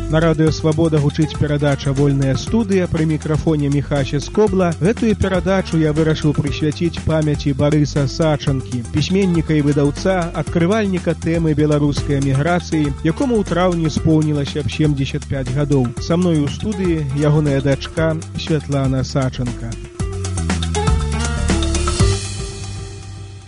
На радыё «Свабода» гучыць перадача «Вольная студыя», пры мікрафоне Міхася Скобла. Гэтую перадачу я вырашыў прысвяціць памяці Барыса Сачанкі, пісьменніка і выдаўца, адкрывальніка тэмы беларускай эміграцыі, якому ў траўні споўнілася б 75 гадоў. Са мной у студыі ягоная дачка Святлана Сачанка.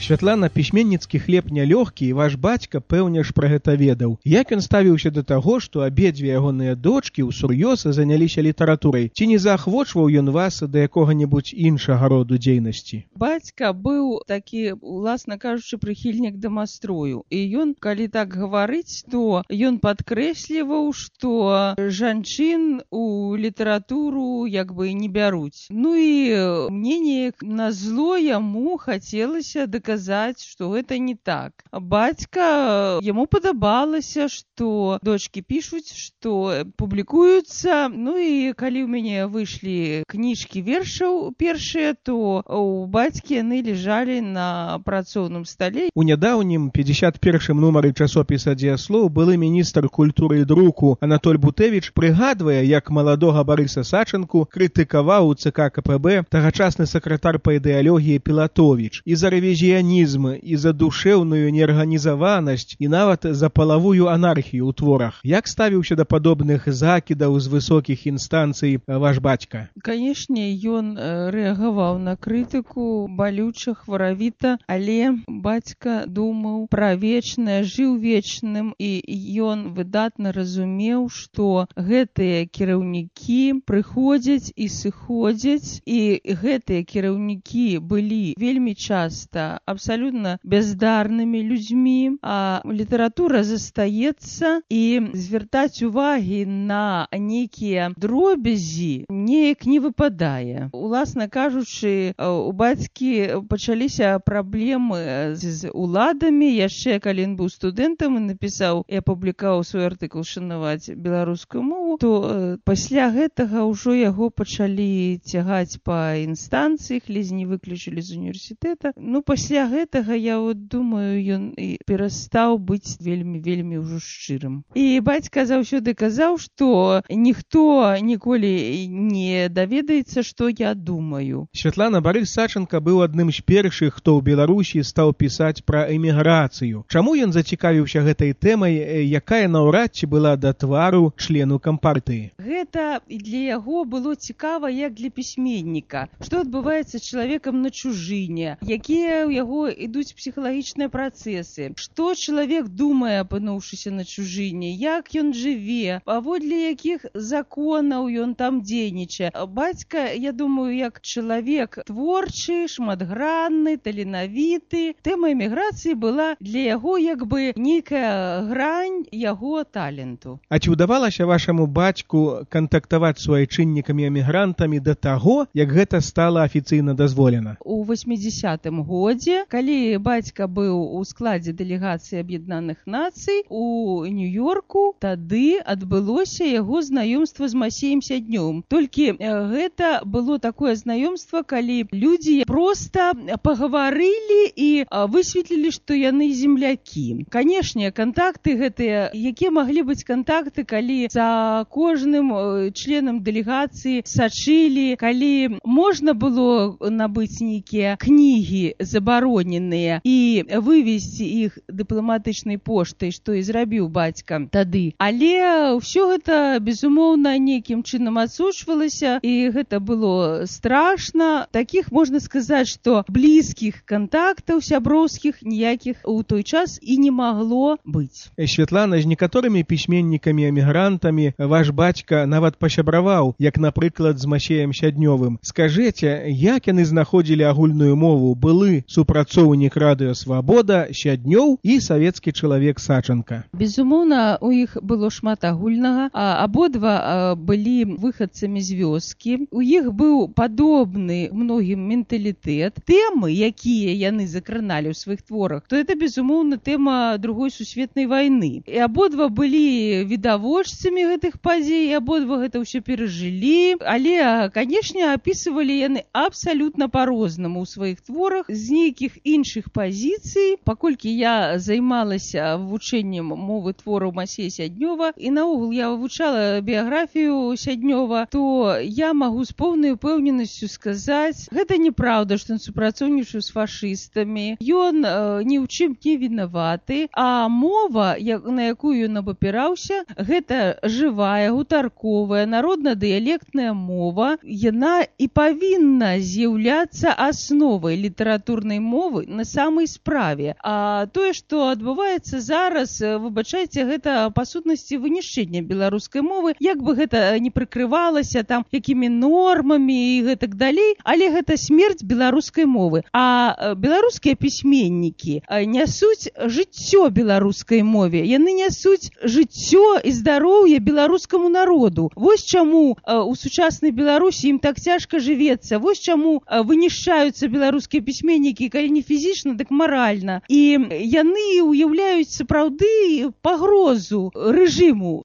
Святлана, пісьменніцкі хлеб нялёгкі, і ваш бацька, пэўне ж, пра гэта ведаў. Як ён ставіўся да таго, што абедзве ягоныя дочкі ўсур'ёз заняліся літаратурай? Ці не заахвочваў ён вас да якога-небудзь іншага роду дзейнасці? Бацька быў такі, уласна кажучы, прыхільнік дамастрою. І ён, калі так гаварыць, то ён падкрэсліваў, што жанчын у літаратуру як бы не бяруць. Ну і мне неяк назло яму хацелася даказаць, што гэта не так. Бацька, яму падабалася, што дочкі пішуць, што публікуюцца. Ну і калі ў мяне выйшлі кніжкі вершаў першыя, то у бацькі яны ляжалі на працоўным стале. У нядаўнім 51-м нумары часопіса «Дзеяслоў» былы міністр культуры і друку Анатоль Бутэвіч прыгадвае, як маладога Барыса Сачанку крытыкаваў у ЦК КПБ тагачасны сакратар па ідэалогіі Пілатовіч і за рэвізіянізм, і за душэўную неарганізаванасць, і нават за палавую анархію ў творах. Як ставіўся да падобных закідаў з высокіх інстанцый ваш бацька? Канешне, ён рэагаваў на крытыку балюча, хваравіта, але бацька думаў пра вечнае, жыў вечным, і ён выдатна разумеў, што гэтыя кіраўнікі прыходзяць і сыходзяць, і гэтыя кіраўнікі былі вельмі часта абсалютна бяздарнымі людзьмі, а літаратура застаецца, і звяртаць увагі на нейкія дробязі неяк не выпадае. Уласна кажучы, у бацькі пачаліся праблемы з уладамі. Яшчэ калі ён быў студэнтам і напісаў і апублікаваў свой артыкул «Шанаваць беларускую мову», то пасля гэтага ўжо яго пачалі цягаць па інстанцыях, ледзь не выключылі з універсітэта. Ну, пасля гэтага, я думаю, ён і перастаў быць вельмі ўжо шчырым. І бацька заўсёды казаў, што ніхто ніколі не даведаецца, што я думаю. Святлана, Барыс Сачанка быў адным з першых, хто ў Беларусі стаў пісаць пра эміграцыю. Чаму ён зацікавіўся гэтай тэмай, якая наўрад ці была да твару члену кампартыі? Гэта для яго было цікава, як для пісьменніка. Што адбываецца з чалавекам на чужыне, якія ў яго ідуць псіхалагічныя працэсы, што чалавек думае, апынуўшыся на чужыне, як ён жыве, паводле якіх законаў ён там дзейнічае. Бацька, я думаю, як чалавек творчы, шматгранны, таленавіты. Тэма эміграцыі была для яго як бы нейкая грань яго таленту. А ці ўдавалася вашаму бацьку кантактаваць з суайчыннікамі-эмігрантамі да таго, як гэта стала афіцыйна дазволена? У 80-м годзе, калі бацька быў у складзе дэлегацыі Аб'яднаных Нацый у Нью-Йорку, тады адбылося яго знаёмства з Масеем Сяднёвым. Толькі гэта было такое знаёмства, калі людзі проста пагаварылі і высветлілі, што яны землякі. Канешне, кантакты гэтыя, якія маглі быць кантакты, калі за кожным членам дэлегацыі сачылі, калі можна было набыць нейкія кнігі забароненыя і вывезці іх дыпламатычнай поштай, што і зрабіў бацька тады. Але ўсё гэта, безумоўна, нейкім чынам адсочвалася, і гэта было страшна. Такіх, можна сказаць, што блізкіх кантактаў сяброўскіх ніякіх у той час і не магло быць. Святлана, з некаторымі пісьменнікамі-эмігрантамі ваш бацька нават пасябраваў, як, напрыклад, з Масеем Сяднёвым. Скажыце, як яны знаходзілі агульную мову? Былы супрацоўнік радыё «Свабода» Сяднёў і савецкі чалавек Сачанка. Безумоўна, у іх было шмат агульнага. Абодва былі выхадцамі з вёскі. У іх быў падобны многім менталітэт. Тэмы, якія яны закраналі ў сваіх творах, то это, безумоўна, тэма Другой сусветнай вайны. І абодва былі відавочцамі гэтых падзей, і абодва гэта ўсё перажылі. Але, канешне, апісвалі яны абсалютна па-рознаму ў сваіх творах, з нейкім нейкіх іншых пазіцый, паколькі я займалася вывучэннем мовы твораў Масея Сяднёва, і наогул я вывучала біяграфію Сяднёва, то я магу з поўнай упэўненасцю сказаць, гэта неправда, што ён супрацоўнічаў з фашыстамі, ён ні ў чым не вінаваты, а мова, на якую ён абапіраўся, гэта жывая, гутарковая, народна-дыялектная мова, яна і павінна з'яўляцца асновай літаратурнай мовы на самай справе. А тое, што адбываецца зараз, выбачайце, гэта па сутнасці вынішчэння беларускай мовы, як бы гэта не прыкрывалася там якімі нормамі і гэтак далей, але гэта смерць беларускай мовы. А беларускія пісьменнікі нясуць жыццё беларускай мове, яны нясуць жыццё і здароўе беларускаму народу. Вось чаму у сучаснай Беларусі ім так цяжка жывецца, вось чаму вынішчаюцца беларускія пісьменнікі, калі не фізічна, дык маральна. І яны уяўляюць сапраўды пагрозу рэжыму.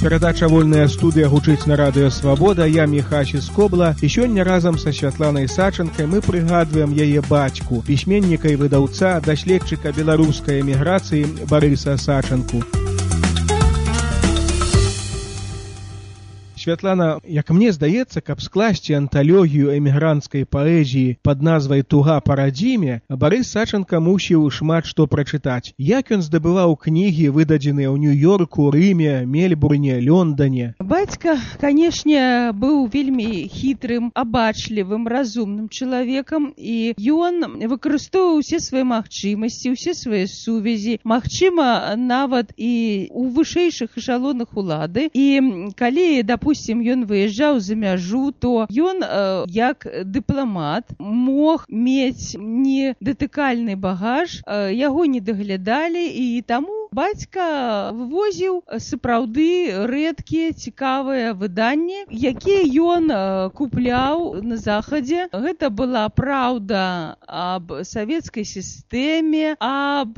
Перадача «Вольная студыя» гучыць на радыё «Свабода». Я Міхась Скобла. І сёння разам са Святланай Сачанкай мы прыгадваем яе бацьку, пісьменніка і выдаўца, даследчыка беларускай эміграцыі Барыса Сачанку. Святлана, як мне здаецца, каб скласці анталогію эмігранцкай паэзіі пад назвай «Туга па радзіме», Барыс Сачанка мусіў шмат што прачытаць. Як ён здабываў кнігі, выдадзеныя ў Нью-Йорку, Рыме, Мельбурне, Лондане? Бацька, канешне, быў вельмі хітрым, абачлівым, разумным чалавекам, і ён выкарыстоўваў усе свае магчымасці, усе свае сувязі, магчыма, нават і ў вышэйшых эшалонах улады. І калі, допустим, ён выязджаў за мяжу, то ён, як дыпламат, мог мець недатыкальны багаж, яго не даглядалі, і таму бацька вывозіў сапраўды рэдкія, цікавыя выданні, якія ён купляў на захадзе. Гэта была праўда аб савецкай сістэме, аб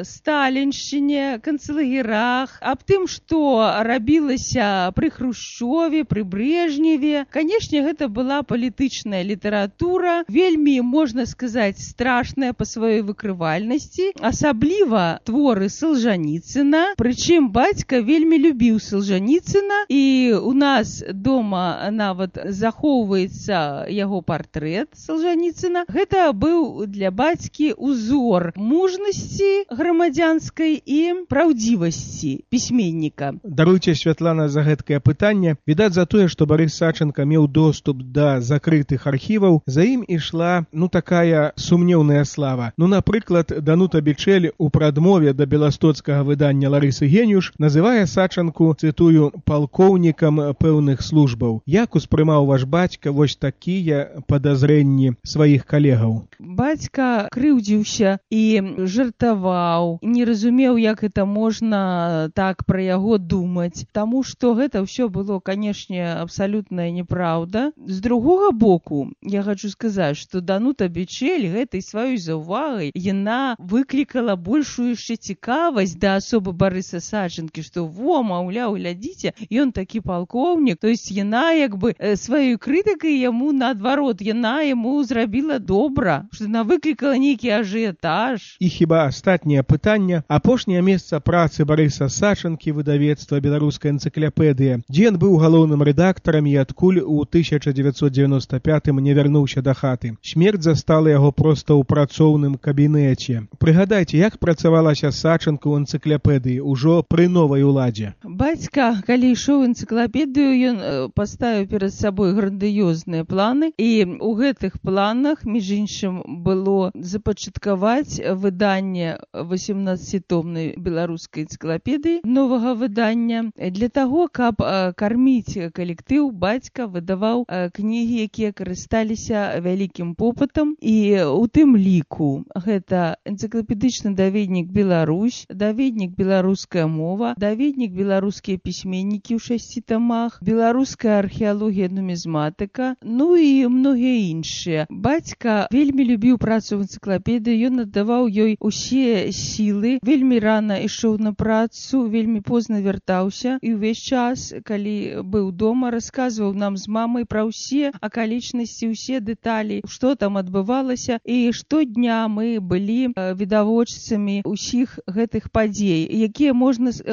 сталіншчыне, канцлагерах, аб тым, што рабілася пры Хрушчове, пры Брежневе. Канешне, гэта была палітычная літаратура, вельмі, можна сказаць, страшная па сваёй выкрывальнасці, асабліва творы Салжаніцына. Прычым бацька вельмі любіў Салжаніцына, і у нас дома нават захоўваецца яго партрэт Салжаніцына. Гэта быў для бацькі узор мужнасці грамадзянскай і праўдзівасці пісьменніка. Даруйце, Святлана, за гэткае пытанне. Відаць, за тое, што Барыс Сачанка меў доступ да закрытых архіваў, за ім ішла, такая сумнеўная слава. Напрыклад, Данута Бичель у прадмове да беластоцкага выдання Ларысы Геніюш называе Сачанку, цытую, палкоўнікам пэўных службаў. Як успрымаў ваш бацька вось такія падазрэнні сваіх калегаў? Бацька крыўдзіўся і жартаваў, не разумеў, як гэта можна так пра яго думаць, таму што гэта ўсё было, канешне, абсалютная неправда. З другога боку, я хачу сказаць, што Данута Бичель гэтай сваёй заўвагай яна выклікала большую яшчэ цікавасць да асобы Барыса Сачанкі, што маўляў, глядзіце, ён такі палкоўнік. То есть яна як бы сваёй крытыкай яму наадварот, яна яму зрабіла добра, што яна выклікала нейкі ажыятаж. І хіба астатняе пытанне, апошняе месца працы Барыса Сачанкі, выдавецтва «Беларуская энцыклапедыя», дзе ён быў галоўным рэдактарам і адкуль у 1995-м не вярнуўся да хаты. Смерць застала яго проста ў працоўным кабінеце. Прыгадайце, як працавалася Сачанка ў энцыклапедыі ўжо пры новай уладзе? Бацька, калі ішоў энцыклапедыю, ён паставіў перад сабой грандыёзныя планы, і ў гэтых планах, між іншым, было запачаткаваць выданне 18-томнай беларускай энцыклапедыі, новага выдання. Для таго, каб карміць калектыў, бацька выдаваў кнігі, якія карысталіся вялікім попытам, і у тым ліку гэта энцыклапедычны даведнік «Беларусь», даведнік беларуская мова, даведнік беларускія пісьменнікі ў 6 тамах, беларуская археалогія, нумізматыка, ну і многія іншыя. Бацька вельмі любіў працу в энцыклапедыі, ён аддаваў ёй усе сілы, вельмі рана ішоў на працу, вельмі позна вяртаўся і ўвесь час, калі быў дома, расказваў нам з мамай пра ўсе акалічнасці, усе дэталі, што там адбывалася, і штодня мы былі відавочцамі ўсіх гэтых падзей, якія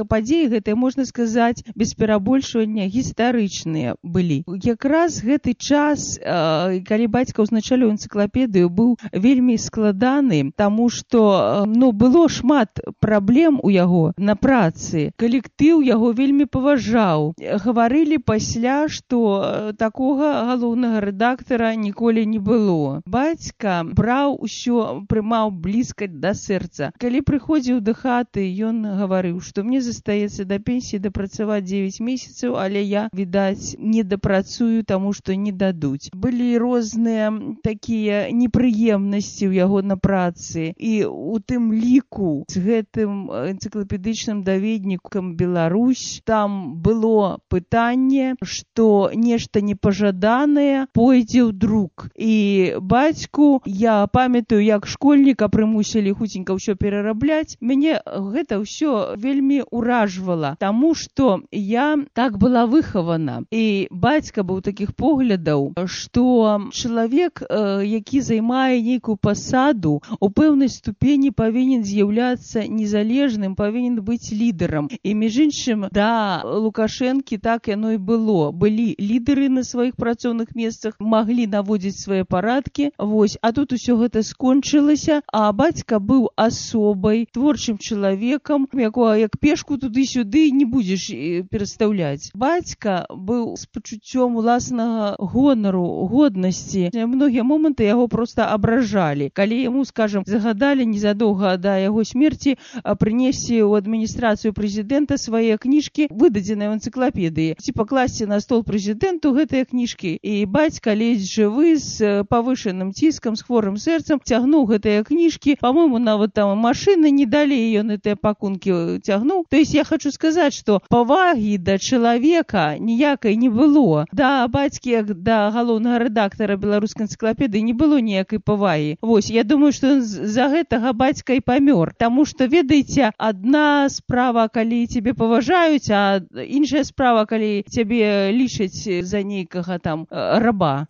падзеі гэтыя, можна сказаць, без перабольшвання гістарычныя былі. Якраз гэты час, калі бацька ўзначаліў энцыклапедыю, быў вельмі складаны, таму што было шмат праблем у яго на працы. Калектыў яго вельмі паважаў. Гаварылі пасля, што такога галоўнага рэдактара ніколі не было. Бацька браў усё, прымаў блізка да сэрца. Калі прыходзіў да хаты, ён гаварыў, што мне застаецца да пенсіі дапрацаваць 9 месяцаў, але я, відаць, не дапрацую, таму што не дадуць. Былі розныя такія непрыемнасці ў яго на працы, і у тым ліку з гэтым энцыклапедычным даведнікам Беларусь там было пытанне, што нешта непажаданае пойдзе ў друк. І бацьку, я памятаю, як школьніка прымусілі хуценька ўсё перарабляць, мяне гэта ўсё вельмі уражвала, таму што я так была выхавана. І бацька быў такіх поглядаў, што чалавек, які займае нейкую пасаду, у пэўнай ступені павінен з'яўляцца незалежным, павінен быць лідарам. І між іншым, да Лукашэнкі так яно і было. Былі лідары на сваіх працоўных месцах, маглі наводзіць свае парадкі, а тут усё гэта скончылася, а бацька быў асобай, творчым чалавекам, якога як пешку туды-сюды не будзеш перастаўляць. Бацька быў з пачуццём уласнага гонару, годнасці. Многія моманты яго проста абражалі. Калі яму, скажам, загадалі незадоўга да яго смерці прынесці ў адміністрацыю прэзідэнта свае кніжкі, выдадзеныя ў энцыклапедыі, ці пакласці на стол прэзідэнту гэтыя кніжкі. І бацька ледзь жывы, з павышаным ціскам, з хворым сэрцам, цягнуў гэтыя кніжкі. Па-мойму, нават там машыны не далі, ён гэтыя пакункі цягнуў. То есть я хочу сказаць, што павагі да чалавека ніякай не было. Да бацькі, як да галоўнага рэдактара беларускай энцыклапедыі, не было ніякай павагі. Я думаю, што за гэтага бацька і памёр. Таму што, ведаеце, адна справа, калі цябе паважаюць, а іншая справа, калі цябе лічаць за нейкага там раба.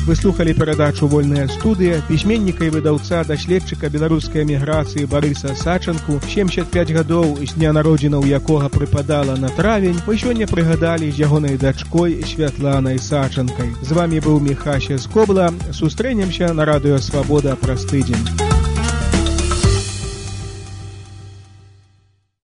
Вы слухали перадачу «Вольная студыя» пісьменніка і выдаўца, даследчыка беларускай эміграцыі Барыса Сачанку, 75 гадоў з дня народзінаў якога прыпадала на травень, мы сёння прыгадалі з ягонай дачкой Святланай Сачанкай. З вамі быў Міхася Скобла. Сустрэнемся на радыё Свабода праз тыдзень.